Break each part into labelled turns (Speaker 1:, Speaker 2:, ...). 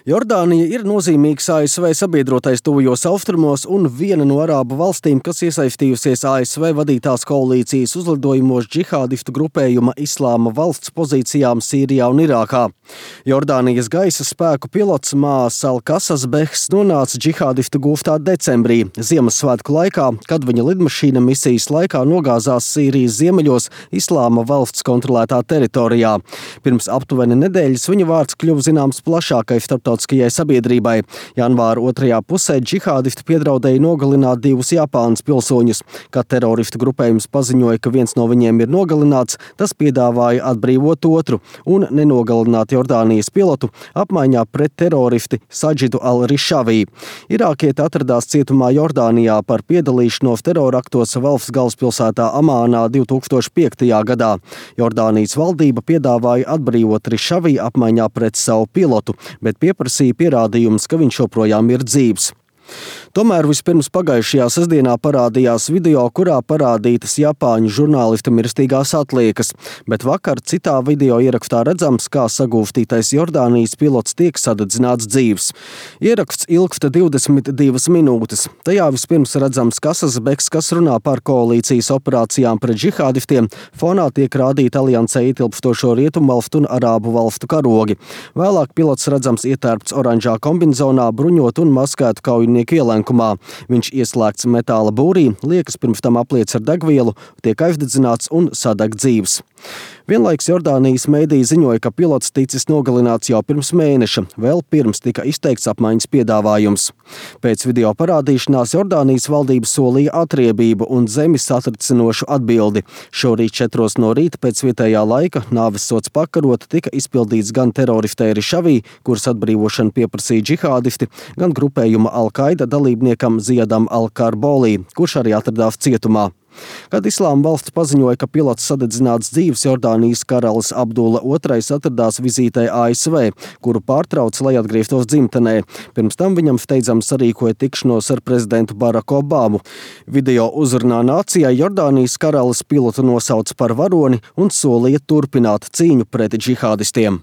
Speaker 1: Jordānija ir nozīmīgs ASV sabiedrotais tuvajos austrumos un viena no arābu valstīm, kas iesaistījusies ASV vadītās koalīcijas uzlidojumos džihādistu grupējuma Islāma valsts pozīcijām Sīrijā un Irākā. Jordānijas gaisa spēku pilots Maas Al-Kasas Behs nonāca džihādistu gūftā decembrī, Ziemassvētku laikā, kad viņa lidmašīna misijas laikā nogāzās Sīrijas ziemeļos Islāma valsts kontrolētā teritorijā. Pirms aptuveni nedēļas viņa vārds kļuva zināms plašākai starptautiskajai sabiedrībai. Janvāra otrajā pusē džihādisti piedraudēja nogalināt 2 Japānas pilsoņus. Kad teroristu grupējums paziņoja, ka viens no viņiem ir nogalināts, tas piedāvāja atbrīvot otru un nenogalināt Jordānijas pilotu apmaiņā pret teroristi Sadžidu al-Rišavī. Irākieti atradās cietumā Jordānijā par piedalīšanos teroraktos valsts galvaspilsētā Amānā 2005. gadā. Jordānijas valdība piedāvāja atbrīvot Rišavī apmaiņā pret savu pilotu, bet pieprasīja pierādījumus, ka viņš joprojām ir dzīvs. Tomēr vispirms pagājušajā sestdienā parādījās video, kurā parādītas Japāņu žurnālista mirstīgās atliekas, bet vakar citā video ierakstā redzams, kā sagūstītais Jordānijas pilots tiek sadedzināts dzīvs. Ieraksts ilgsta 22 minūtes. Tajā vispirms redzams Kasas Behs, kas runā par koalīcijas operācijām pret džihādistiem. Fonā tiek rādīti aliansē ietilpstošo rietumvalstu un arābu valstu karogi. Vēlāk pilots redzams ietērpts oranžā kombinzonā, bruņot un maskētu kaujinieku ielenkumā. Viņš ieslēgts metāla būrī, liekas pirms tam apliec ar degvielu, tiek aizdedzināts un sadeg dzīvs. Vienlaiks Jordānijas mēdīji ziņoja, ka pilots ticis nogalināts jau pirms mēneša, vēl pirms tika izteikts apmaiņas piedāvājums. Pēc video parādīšanās Jordānijas valdība solīja atriebību un zemi satricinošu atbildi. Šorīt 4 no rīta pēc vietējā laika nāvessods pakarot tika izpildīts gan teroristei Rišavī, kuras atbrīvošanu pieprasīja džihādisti, gan grupējuma Al-Qaida dalībniekam Ziadam Al-Karbolī, kurš arī atradās cietumā. Kad Islāma valsts paziņoja, ka pilots sadedzināts dzīvs, Jordānijas karalis Abdulla II atradās vizītē ASV, kuru pārtrauca, lai atgrieztos dzimtenē. Pirms tam viņam steidzami sarīkoja tikšanos ar prezidentu Baraku Obamu. Video uzrunā nācijai Jordānijas karalis pilotu nosauca par varoni un solīja turpināt cīņu pret džihādistiem.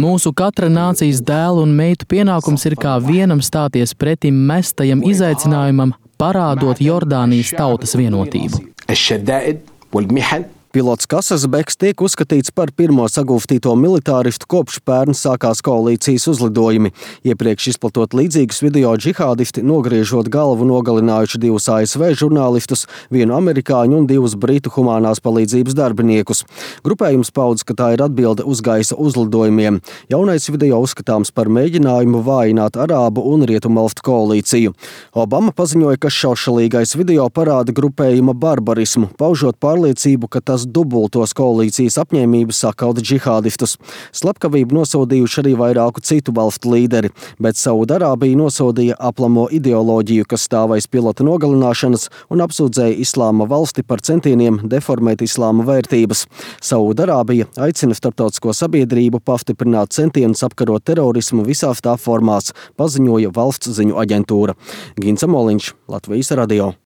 Speaker 2: Mūsu katra nācijas dēlu un meitu pienākums ir kā vienam stāties pretim mestajam izaicinājumam, parādot Jordānijas tautas vienotību.
Speaker 1: Pilots Kasas Behs tiek uzskatīts par pirmo sagūstīto militāristu kopš pērn sākās koalīcijas uzlidojumi. Iepriekš izplatot līdzīgus video džihādisti nogriežot galvu nogalinājuši 2 ASV žurnālistus, 1 amerikāņu un 2 britu humānās palīdzības darbiniekus. Grupējums paudz, ka tā ir atbilde uz gaisa uzlidojumiem. Jaunais video uzskatāms par mēģinājumu vājināt arābu un rietumvalstu koalīciju. Obama paziņoja, ka šaušalīgais video parāda grupējuma barbarismu, paužot pārliecību, ka tas dubultos koalīcijas apņēmību sakaut džihādistus. Slepkavību nosodījuši arī vairāku citu valstu līderi, bet Saudarābija nosodīja aplamo ideoloģiju, kas stāv aiz pilota nogalināšanas, un apsūdzēja Islāma valsti par centieniem deformēt islāma vērtības. Saudarābija aicina starptautisko sabiedrību pastiprināt centienus apkarot terorismu visās tā formās, paziņoja valsts ziņu aģentūra. Gins Amoliņš, Latvijas radio.